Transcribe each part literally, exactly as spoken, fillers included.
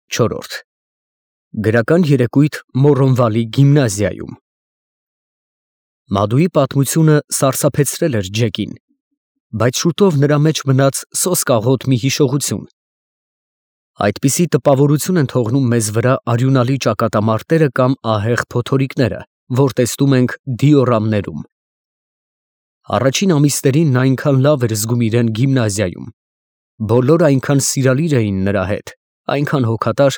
Չորրորդ Գրական երեկույթ Մոռոնվալի գիմնազիայում։ Մադուի պատմությունը սարսափեցրել էր Ջեկին, բայց շուտով նրա մեջ մնաց սոսկաղոտ մի հիշողություն։ Այդպիսի տպավորություն են թողնում մեզ վրա արյունալի ճակատամարտերը կամ ահեղ փոթորիկները, որ տեսնում ենք դիորամներում։ Առաջին ամիսներին նա այնքան լավ էր զգում իրեն գիմնազիայում, բոլորը այնքան սիրալիր էին նրա հետ, այնքան հոգատար,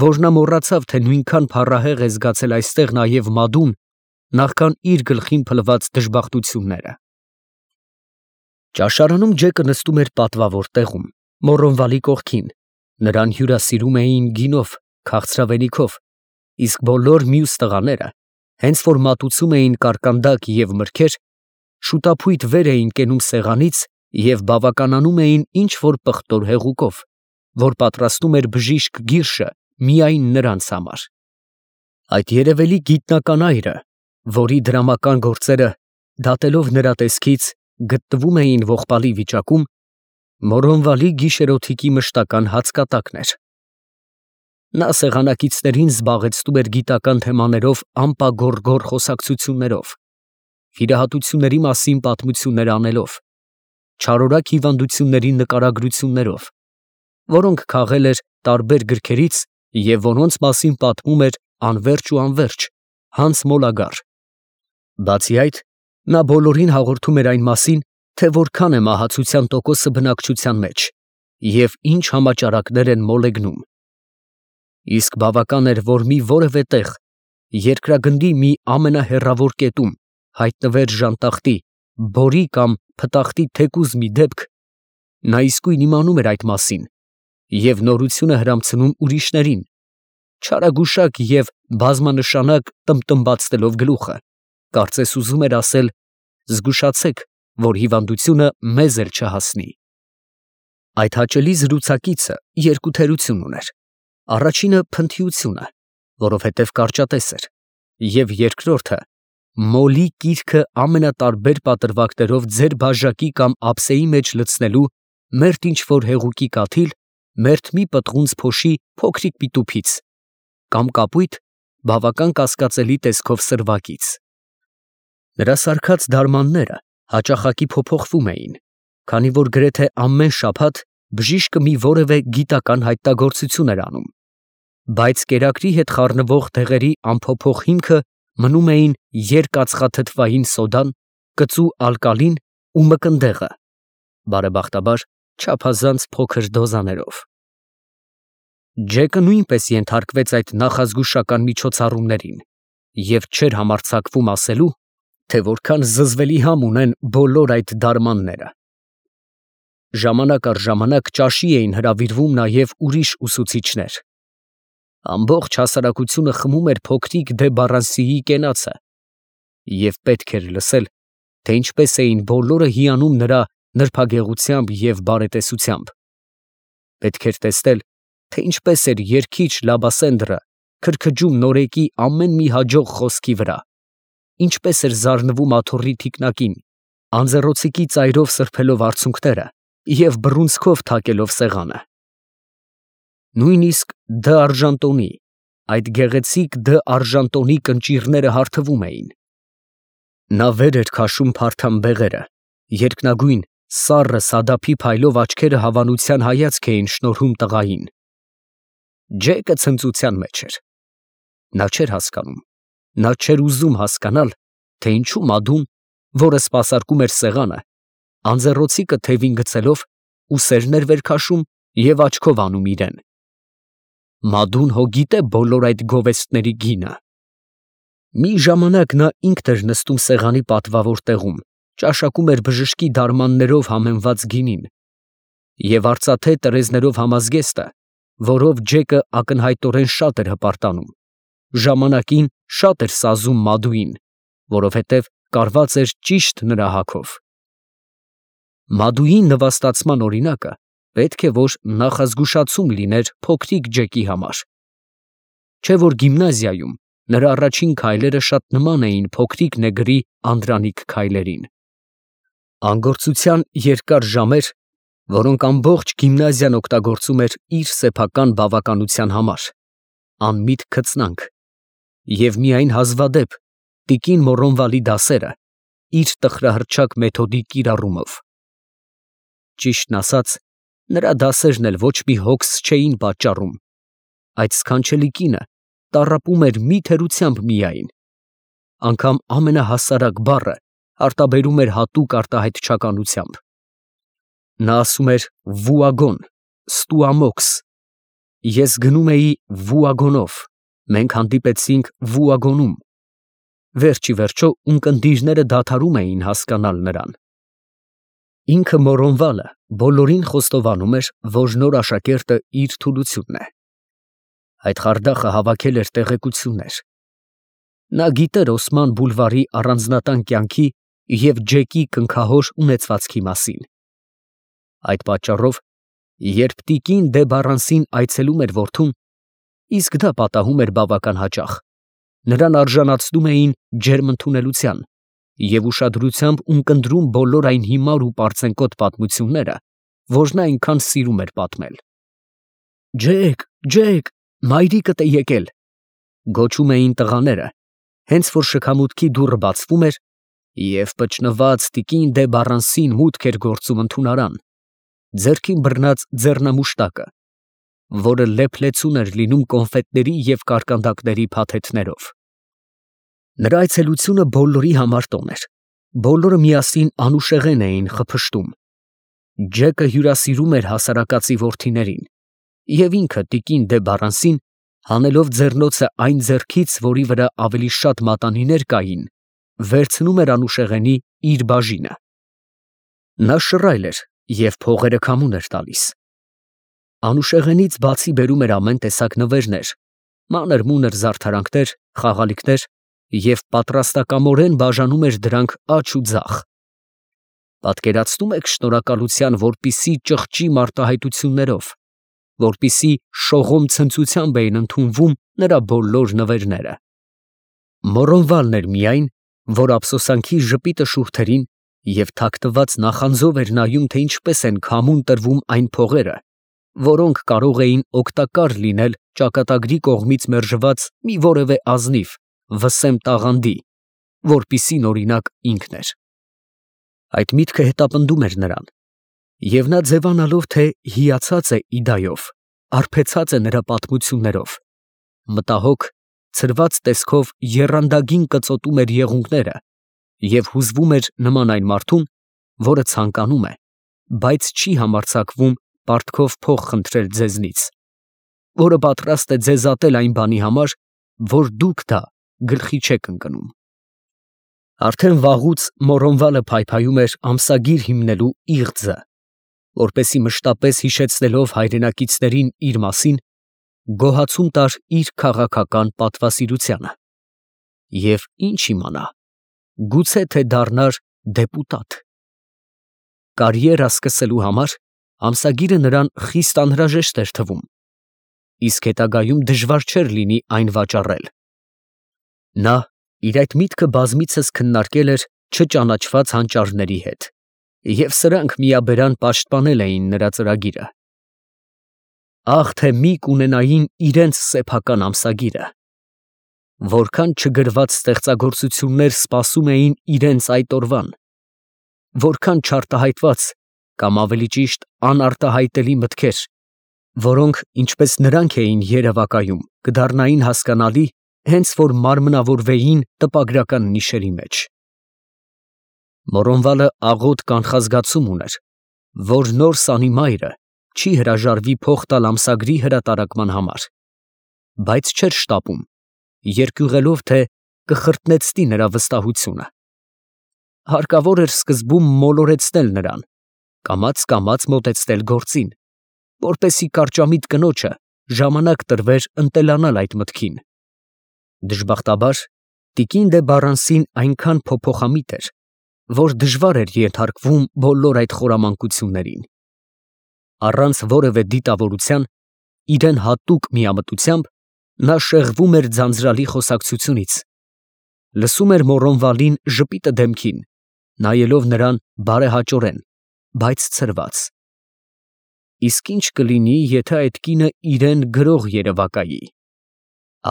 որ նա մոռացավ, թե նույնքան փառահեղ է զգացել այստեղ նաև Մադուն, նախքան իր գլխին փլված դժբախտությունները։ Ճաշարանում Ջեկը նստում էր պատվավոր տեղում, Մոռոնվալի կողքին, նրան հյուրասիրում էին գինով, քաղցրավենիքով, իսկ բոլոր մյուս տղաները, հենց որ մատուցում էին կարկանդակ և մրգեր, շուտափույթ վեր էին կենում սեղանից և բավականանում էին ինչ֊որ պղտոր հեղուկով, որ պատրաստում էր բժիշկ Գիրշը միայն նրանց համար։ Այդ երևելի գիտնական այրը, որի դրամական գործերը, դատելով նրա տեսքից, գտնվում էին ողբալի վիճակում, Մոռոնվալի գիշերօթիկի մշտական հացկատակն էր։ Նա սեղանակիցներին զբաղեցնում էր գիտական թեմաներով ամպագոռ-գոռ խոսակցություններով, վիրահատությունների մասին պատմություններ անելով, չարորակ հիվանդությունների նկարագրություններով, որոնք քաղել էր տարբեր գրքերից և որոնց մասին պատմում էր անվերջ ու անվերջ, հանց մոլագար։ Բացի այդ, նա բոլորին հաղորդում էր այն մասին, թե որքան է մահացության տոկոսը բնակչության մեջ և ինչ համաճարակներ են մոլեգնում։ Իսկ բավական էր, որ մի որևէ տեղ, երկրագնդի մի ամենահեռավոր կետում հայտնվեր ժանտախտի, բորի կամ փտախտի թեկուզ մի դեպք, նա իսկույն իմանում էր այդ մասին և նորությունը հրամցնում ուրիշներին, չարագուշակ և բազմանշանակ տմբտմբացնելով գլուխը, կարծես ուզում էր ասել. «Զգուշացեք, որ հիվանդությունը մեզ էլ չհասնի»։ Այդ հաճելի զրուցակիցը երկու թերություն ուներ. առաջինը փնթիությունը, որովհետև կարճատես էր, և երկրորդը մոլի կիրքը ամենատարբեր պատրվակներով ձեր բաժակի կամ ափսեի մեջ լցնելու մերթ ինչ֊որ հեղուկի կաթիլ, մերթ մի պտղունց փոշի փոքրիկ պիտուփից կամ կապույտ, բավական կասկածելի տեսքով սրվակից։ Նրա սարքած դարմանները հաճախակի փոփոխվում էին, քանի որ գրեթե ամեն շաբաթ բժիշկը մի որևէ գիտական հայտնագործություն էր անում, բայց կերակրի հետ խառնվող դեղերի անփոփոխ հիմքը մնում էին երկաթծխաթթվային սոդան, կծու ալկալին ու մկնդեղը, բարեբախտաբար չափազանց փոքր դոզաներով։ Ջեկը նույնպես ենթարկվեց այդ նախազգուշական միջոցառումներին և չէր համարձակվում ասելու, թե որքան զզվելի համ ունեն բոլոր այդ դարմանները։ Ժամանակ առ ժամանակ ճաշի էին հրավիրվում նաև ուրիշ ուսուցիչներ։ Ամբողջ հասարակությունը խմում էր փոքրիկ դե Բառանսիի կենացը, և պետք էր լսել, թե ինչպես էին բոլորը հիանում նրա նրբագեղությամբ և բարետեսությամբ։ Պետք էր տեսնել, թե ինչպես էր երգիչ Լաբասենդրը քրքջում նորեկի ամեն մի հաջող խոսքի վրա, ինչպես էր զարնվում աթոռի թիկնակին, անձեռոցիկի ծայրով սրբելով արցունքները և բռունցքով թակելով սեղանը։ Նույնիսկ Դ. Արժանտոնի, այդ գեղեցիկ Դ. Արժանտոնի կնճիռները հարթվում էին։ Նա վեր էր քաշում փարթամ բեղերը, երկնագույն, սառը սադափի փայլով աչքերը հավանության հայացք էին շնորհում տղային։ Ջեկը ցնծության մեջ էր։ Նա չէր հասկանում, նա չէր ուզում հասկանալ, թե ինչու Մադուն, որը սպասարկում էր սեղանը, անձեռոցիկը թևին գցելով, ուսերն էր վեր քաշում և աչքով անում իրեն։ Մադուն հո գիտե բոլոր այդ գովեստների գինը։ Մի ժամանակ նա ինքն էր նստում սեղանի պատվավոր տեղում, ճաշակում էր բժշկի դարմաններով համեմված գինին և արծաթե տրեզներով համազգեստը, որով Ջեկը ակնհայտորեն շատ էր հպարտանում, ժամանակին շատ էր սազում Մադուին, որովհետև կարված էր ճիշտ նրա հագով։ Մադուի նվաստացման օրինակը պետք է որ նախազգուշացում լիներ փոքրիկ Ջեկի համար, չէ՞ որ գիմնազիայում նրա առաջին քայլերը շատ նման էին փոքրիկ նեգրի անդրանիկ քայլերին։ Անգործության երկար ժամեր որոնք ամբողջ գիմնազիան օգտագործում էր իր սեփական բավականության համար, անմիտ քծնանք, և միայն հազվադեպ տիկին Մորոնվալի դասերը իր տխրահռչակ մեթոդի կիրառումով։ Ճիշտն ասած, նրա դասերն էլ ոչ մի հոգս չէին պատճառում, այդ սքանչելի կինը տառապում էր մի թերությամբ միայն, անգամ ամենահասարակ բառը արտաբերում էր հատուկ արտահայտչականությամբ։ Նա ասում էր վուագոն, ստուամոքս, ես գնում էի վուագոնով, մենք հանդիպեցինք վուագոնում, վերջ ի վերջո ունկնդիրները դադարում էին հասկանալ նրան։ Ինքը Մորոնվալը բոլորին խոստովանում էր, որ նոր աշակերտը իր թուլությունն է։ Այդ խարդախը հավաքել էր տեղեկություններ։ Նա գիտեր Օսման բուլվարի առանձնատան կյանքի և Ջեկի կնքահոր ունեցվածքի մասին։ Այդ պատճառով, երբ տիկին դե Բարանսին այցելում էր որդուն, իսկ դա պատահում էր բավական հաճախ, նրան արժանացնում էին ջերմ ընդունելության և ուշադրությամբ ունկնդրում բոլոր այն հիմար ու պարծենկոտ պատմությունները, որ նա այնքան սիրում էր պատմել։ «Ջեք, Ջեք, մայրիկդ է եկել», գոչում էին տղաները, հենց որ շքամուտքի դուռը բացվում էր, և փչնված տիկին դե Բարանսին մուտք էր գործում ընդունարան, ձեռքին բռնած ձեռնամուշտակը, որը լեփլեցուն էր լինում կոնֆետների և կարկանդակների փաթեթներով։ Նրա այցելությունը բոլորի համար տոն էր, բոլորը միասին անուշեղեն էին խփշտում։ Ջեկը հյուրասիրում էր հասարակածի որդիներին, և ինքը տիկին դե Բարանսին, հանելով ձեռնոցը այն ձեռքից, որի վրա ավելի շատ մատանիներ կային, վերցնում էր անուշեղենի իր բաժինը։ Նա շռայլ էր և փողերը քամուն էր տալիս։ Անուշեղենից բացի բերում էր ամեն տեսակ նվերներ, մանր֊մունր զարդարանքներ, խաղալիքներ և պատրաստակամորեն բաժանում էր դրանք աջ ու ձախ։ Պատկերացնում եք շնորհակալության որպիսի ճղճի մարտահայտություններով, որպիսի շողոմ ցնծությամբ էին ընդունվում նրա բոլոր նվերները։ Մորոնվալն էր միայն, որ ափսոսանքի ժպիտը շուրթերին և թաքնված նախանձով էր նայում, թե ինչպես են քամուն տրվում այն փողերը, որոնք կարող էին օգտակար լինել ճակատագրի կողմից մերժված մի որևէ ազնիվ, վսեմ տաղանդի, որպիսին օրինակ ինքն էր։ Այդ միտքը հետապնդում էր նրան, և նա ձևանալով, թե հիացած է իդայով, արբեցած է նրա պատմություններով, մտահոգ, ցրված տեսքով եռանդագին կծոտում էր եղունգները և հուզվում էր նման այն մարդուն, որը ցանկանում է, բայց չի համարձակվում պարտքով փող խնդրել ձեզնից, որը պատրաստ է ձեզ ատել այն բանի համար, որ դուք դա գլխի չեք ընկնում։ Արդեն վաղուց Մորոնվալը փայփայում էր ամսագիր հիմնելու իղձը, որպեսզի մշտապես հիշեցնելով հայրենակիցներին իր մասին, գոհացում տար իր քաղաքական պատվասիրությանը։ Եվ ինչ իմանա, գուցե թե դառնար դեպուտատ։ Կարիերա սկսելու համար ամսագիրը նրան խիստ անհրաժեշտ էր թվում, իսկ հետագայում դժվար չէր լինի այն վաճառել։ Նա իր այդ միտքը բազմիցս քննարկել էր չճանաչված հանճարների հետ, և սրանք միաբերան պաշտպանել էին նրա ծրագիրը։ Ահ, թե մի կունենային իրենց սեփական ամսագիրը, որքան չգրված ստեղծագործություններ սպասում էին իրենց այդ օրվան, որքան չարտահայտված կամ ավելի ճիշտ անարտահայտելի մտքեր, որոնք, ինչպես նրանք էին երևակայում, կդառնային հասկանալի, հենց որ մարմնավորվեին տպագրական նիշերի մեջ։ Մորոնվալը աղոտ կանխազգացում ուներ, որ նոր սանի մայրը չի հրաժարվի փող տալ ամսագրի հրատարակման համար, բայց չէր շտապում, երկյուղելով, թե կխրտնեցնի նրա վստահությունը։ Հարկավոր էր սկզբում մոլորեցնել նրան, կամաց֊կամաց մոտեցնել գործին, որպեսզի կարճամիտ կնոջը ժամանակ տրվեր ընտելանալ այդ մտքին։ Դժբախտաբար, տիկին դե Բարանսին այնքան փոփոխամիտ էր, որ դժվար էր ենթարկվում բոլոր այդ խորամանկություններին։ Առանց որևէ դիտավորության, իրեն հատուկ միամտությամբ, նա շեղվում էր ձանձրալի խոսակցությունից, լսում էր Մորոնվալին ժպիտը դեմքին, նայելով նրան բարեհաճորեն, բայց ցրված, իսկ ինչ կլինի, եթե այդ կինը իրեն գրող երևակայի։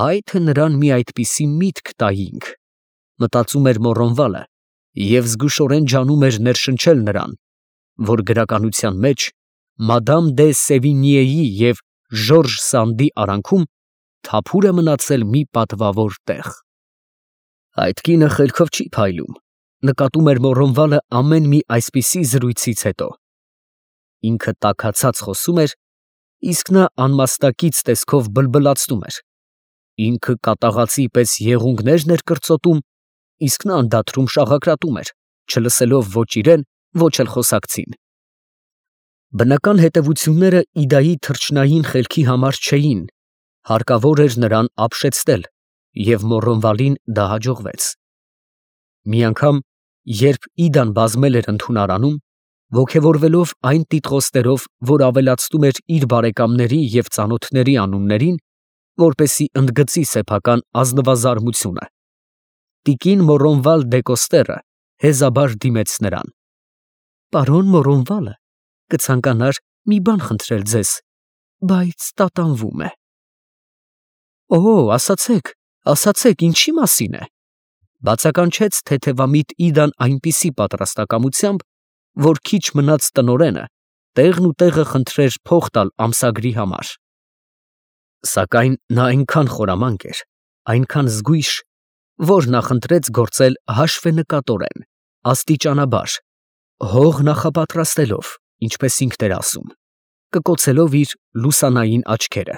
Այ թե նրան մի այդպիսի միտք տայինք, մտածում էր Մոռոնվալը և զգուշորեն ջանում էր ներշնչել նրան, որ գրականության մեջ Մադամ դե Սևինիեի և Ժորժ Սանդի արանքում թափուր է մնացել մի պատվավոր տեղ։ Այդ կինը խելքով չի փայլում, նկատում էր Մոռոնվալը ամեն մի այսպիսի զրույցից հետո։ Ինքը տաքացած խոսում էր, իսկ նա անմաստակից տեսքով բլբլացնում էր։ Ինքը կատաղածի պես եղունգներն էր կրծոտում, իսկ նա անդադրում շաղակրատում էր, չլսելով ոչ իրեն, ոչ էլ խոսակցին։ Բնական հետևությունները Իդայի թռչնային խելքի համար չէին, հարկավոր էր նրան ապշեցնել, և Մոռոնվալին դա հաջողվեց։ Մի անգամ, երբ Իդան բազմել էր ընդունարանում, ոգևորվելով այն տիտղոսներով, որ ավելացնում էր իր բարեկամների և ծանոթների անուններին, որպեսզի ընդգծի սեփական ազնվազարմությունը, տիկին Մոռոնվալ դե Կոստերը հեզաբար դիմեց նրան. «Պարոն Մոռոնվալը կցանկանար մի բան խնդրել ձեզ, բայց տատանվում է»։ «Օ, ասացեք, ասացեք, ինչի մասին է», ֊ բացականչեց թեթևամիտ Իդան այնպիսի պատրաստակամությամբ, որ քիչ մնաց տնօրենը տեղն ու տեղը խնդրեր փող տալ ամսագրի համար։ Սակայն նա այնքան խորամանկ էր, այնքան զգույշ, որ նախընտրեց գործել հաշվենկատորեն, աստիճանաբար, հող նախապատրաստելով, ինչպես ինքն էր ասում, կկոցելով իր լուսանային աչքերը։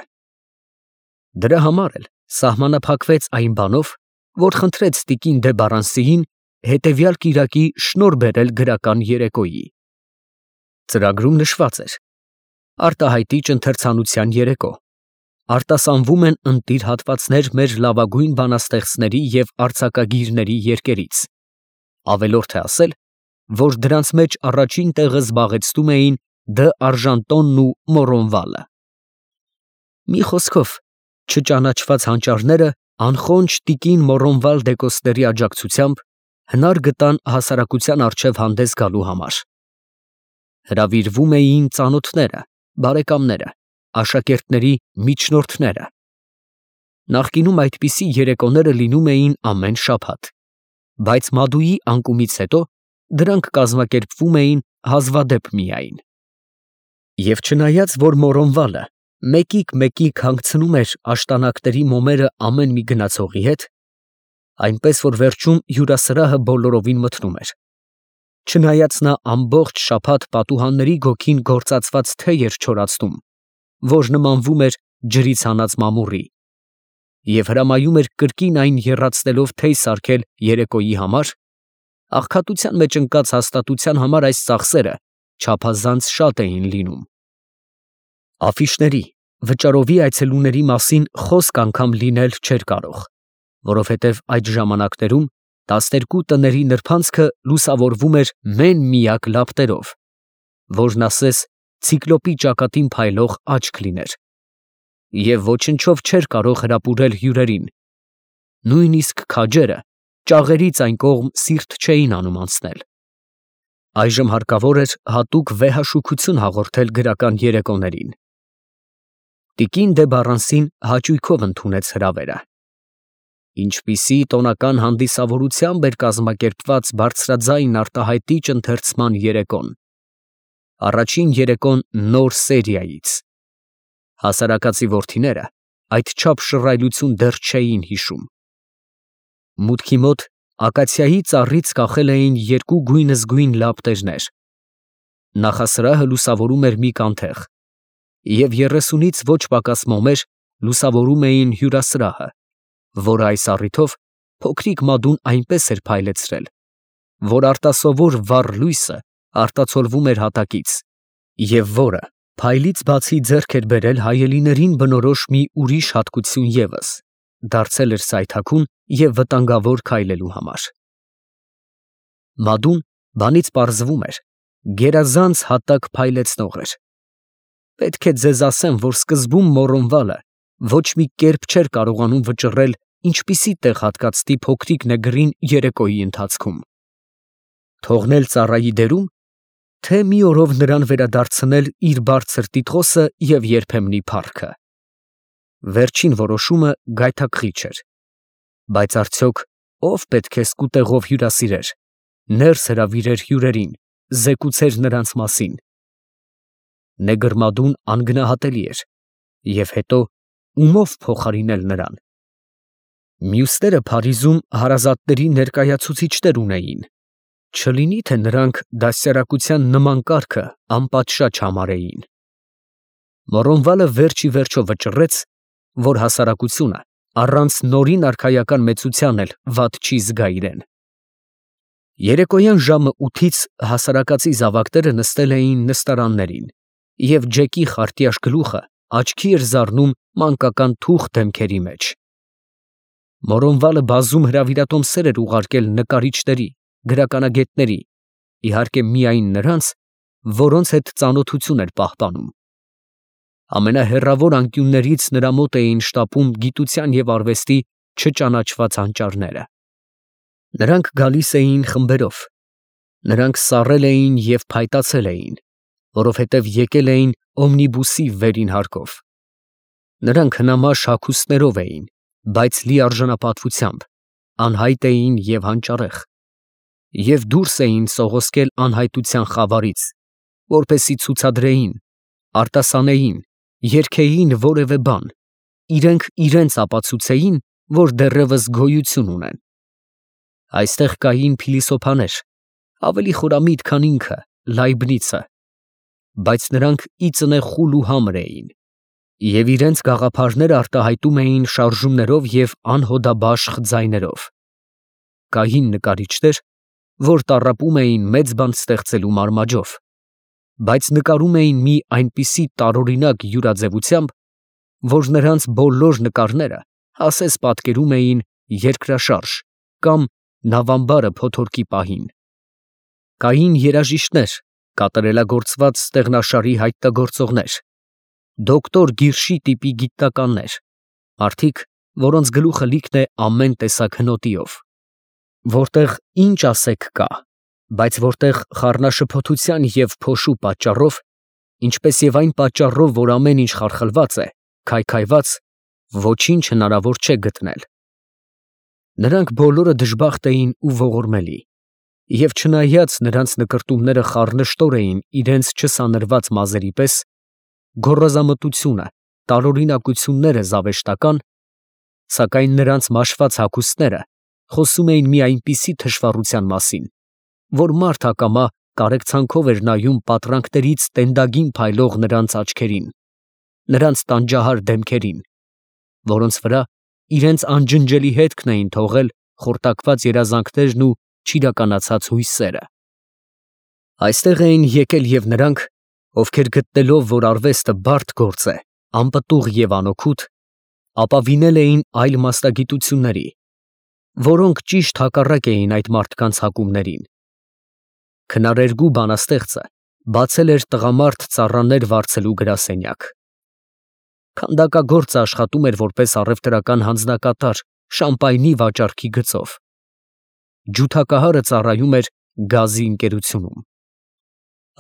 Դրա համար էլ սահմանափակվեց այն բանով, որ խնդրեց տիկին դե Բարանսիին հետևյալ կիրակի շնորհ բերել գրական երեկոյի։ Ծրագրում նշված էր. արտահայտիչ ընթերցանության երեկո, արտասանվում են ընտիր հատվածներ մեր լավագույն բանաստեղծների և արձակագիրների երկերից, ավելորդ է ասել, որ դրանց մեջ առաջին տեղը զբաղեցնում էին Դ. Արժանտոնն ու Մոռոնվալը։ Մի խոսքով, չճանաչված հանճարները անխոնջ տիկին Մոռոնվալ դե Կոստերի աջակցությամբ հնար գտան հասարակության առջև հանդես գալու համար։ Հրավիրվում էին ծանոթները, բարեկամները, աշակերտների միջնորդները։ Նախկինում այդպիսի երեկոները լինում էին ամեն շաբաթ, բայց Մադուի անկումից հետո դրանք կազմակերպվում էին հազվադեպ միայն։ Եվ չնայած, որ Մոռոնվալը մեկիկ֊մեկիկ հանգցնում էր աշտանակների մոմերը ամեն մի գնացողի հետ, այնպես որ վերջում հյուրասրահը բոլորովին մթնում էր, չնայած նա ամբողջ շաբաթ պատուհանների գոգին գործածված թեյ էր չորացնում, որ նմանվում էր ջրից հանած մամուռի, և հրամայում էր կրկին այն եռացնելով թեյ սարքել երեկոյի համար, աղքատության մեջ ընկած հաստատության համար այս ծախսերը չափազանց շատ էին լինում։ Աֆիշների, վճարովի այցելուների մասին խոսք անգամ լինել չէր կարող, որովհետև այդ ժամանակներում տասներկու տների նրբանցքը լուսավորվում էր մեն֊միակ լապտերով, որն ասես ցիկլոպի ճակատին փայլող աչք լիներ, և ոչնչով չէր կարող հրապուրել հյուրերին, նույնիսկ քաջերը ճաղերից այն կողմ սիրտ չէին անում անցնել։ Այժմ հարկավոր էր հատուկ վեհաշուքություն հաղորդել գրական երեկոներին։ Տիկին դե Բարանսին հաճույքով ընդունեց հրավերը։ Ինչպիսի տոնական հանդիսավորությամբ էր կազմակերպված բարձրաձայն արտահայտիչ ընթերցման երեկոն։ Առաջին երեկոն նոր սերիայից։ Հասարակածի որդիները այդչափ շռայլություն դեռ չէին հիշում։ Մուտքի մոտ ակացիայի ծառից կախել էին երկու գույնզգույն լապտերներ։ Նախասրահը լուսավորում էր մի կանթեղ, և երեսունից ոչ պակաս մոմեր լուսավորում էին հյուրասրահը, որը այս առիթով փոքրիկ Մադուն այնպես էր փայլեցրել, որ արտասովոր վառ լույսը արտացոլվում էր հատակից, և որը փայլից բացի ձեռք էր բերել հայելիներին բնորոշ մի ուրիշ հատկություն ևս, դարձել էր սայթաքուն և վտանգավոր քայլելու համար։ Մադուն, բանից պարզվում էր, գերազանց հատակ փայլեցնող էր։ Պետք է ձեզ ասեմ, որ սկզբում Մոռոնվալը ոչ մի կերպ չէր կարողանում վճռել ինչպիսի տեղ հատկացնի փոքրիկ նեգրին երեկոյի ընթացքում։ Թողնել ծառայի դերում, թե մի օրով նրան վերադարձնել իր բարձր տիտղոսը և երբեմնի փառքը։ Վերջին որոշումը գայթակղիչ էր, բայց արդյոք ով պետք է սկուտեղով հյուրասիրեր, ներս հրավիրեր հյուրերին, զեկուցեր նրանց մասին։ Նեգրմադուն անգնահատելի էր, և հետո ումով փոխարինել նրան։ Մյուսները Փարիզում հարազատների ներկայացուցիչներ ունեին, չլինի թե նրանք դաստիարակության նման կարգը անպատշաճ համարեին։ Մոռոնվալը վերջ ի վերջո վճռեց, որ հասարակությունը առանց նորին արքայական մեծության էլ վատ չի զգա իրեն։ Երեկոյան ժամը ութից հասարակածի զավակները նստել էին նստարաններին, և Ջեկի խարտյաշ գլուխը աչքի էր զարնում մանկական թուխ դեմքերի մեջ։ Մոռոնվալը բազում հրավիրատոմսեր էր ուղարկել նկարիչների, գրականագետների, իհարկե միայն նրանց, որոնց հետ ծանոթություն էր պահպանում։ Ամենահեռավոր անկյուններից նրա մոտ էին շտապում գիտության և արվեստի չճանաչված հանճարները։ Նրանք գալիս էին խմբերով, նրանք սառել էին և փայտացել էին, որովհետև եկել էին օմնիբուսի վերին հարկով։ Նրանք հնամաշ հագուստներով էին, բայց լիարժանապատվությամբ, անհայտ էին և հանճարեղ, և դուրս էին սողոսկել անհայտության խավարից, որպեսզի ցուցադրեին, արտասանեին, երգեին որևէ բան, իրենք իրենց ապացուցեին, որ դեռևս գոյություն ունեն։ Այստեղ կային փիլիսոփաներ, ավելի խորամիտ, քան ինքը, Լայբնիցը, բայց նրանք ի ծնե խուլ ու համր էին, և իրենց գաղափարները արտահայտում էին շարժումներով և անհոդաբաշխ ձայներով։ Կային նկարիչներ, որ տառապում էին մեծ բան ստեղծելու մարմաջով, բայց նկարում էին մի այնպիսի տարօրինակ յուրաձևությամբ, որ նրանց բոլոր նկարները ասես պատկերում էին երկրաշարժ կամ նավամբարը փոթորկի պահին։ Կային երաժիշտներ, կատարելագործված ստեղնաշարի հայտնագործողներ, դոկտոր Գիրշի տիպի գիտնականներ, մարդիկ, որոնց գլուխը լիքն է ամեն տեսակ հնոտիով, որտեղ ինչ ասեք կա, բայց որտեղ խառնաշփոթության և փոշու պատճառով, ինչպես և այն պատճառով, որ ամեն ինչ խարխլված է, քայքայված, ոչինչ հնարավոր չէ գտնել։ Նրանք բոլորը դժբախտ էին ու ողորմելի, և չնայած նրանց նկրտումները խառնշտոր էին իրենց չսանրված մազերի պես, գոռոզամտությունը, տարօրինակությունները զավեշտական, սակայն նրանց մաշված հագուստները խոսում էին մի այնպիսի թշվառության մասին, որ մարդ ակամա կարեկցանքով էր նայում պատրանքներից տենդագին փայլող նրանց աչքերին, նրանց տանջահար դեմքերին, որոնց վրա իրենց անջնջելի հետքն էին թողել խորտակված երազանքներն ու չիրականացած հույսերը։ Այստեղ էին եկել և նրանք, ովքեր գտնելով, որ արվեստը բարդ գործ է, անպտուղ և անօգուտ, ապավինել էին այլ մասնագիտությունների, որոնք ճիշտ հակառակ էին այդ մարդկանց հակումներին։ Քնարերգու բանաստեղծը բացել էր տղամարդ ծառաներ վարձելու գրասենյակ։ Քանդակագործը աշխատում էր որպես առևտրական հանձնակատար շամպայնի վաճառքի գծով։ Ջութակահարը ծառայում էր գազի ընկերությունում։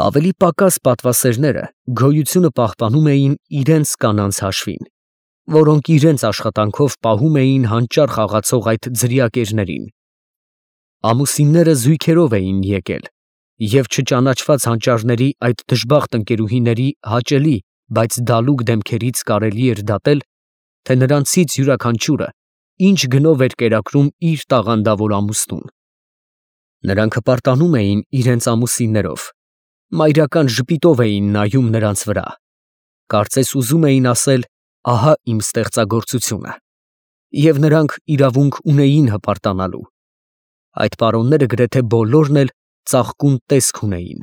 Ավելի պակաս պատվասերները գոյությունը պահպանում էին իրենց կանանց հաշվին, որոնք իրենց աշխատանքով պահում էին հանճար խաղացող այդ ձրիակերներին։ Ամուսինները զույգերով էին եկել, և չճանաչված հանճարների այդ դժբախտ ընկերուհիների հաճելի, բայց դալուկ դեմքերից կարելի էր դատել, թե նրանցից յուրաքանչյուրը ինչ գնով էր կերակրում իր տաղանդավոր ամուսնուն։ Նրանք հպարտանում էին իրենց ամուսիններով, մայրական ժպիտով էին նայում նրանց վրա, կարծես ուզում էին ասել. «Ահա իմ ստեղծագործությունը», և նրանք իրավունք ունեին հպարտանալու։ Այդ պարոնները գրեթե բոլորն էլ ծաղկուն տեսք ունեին։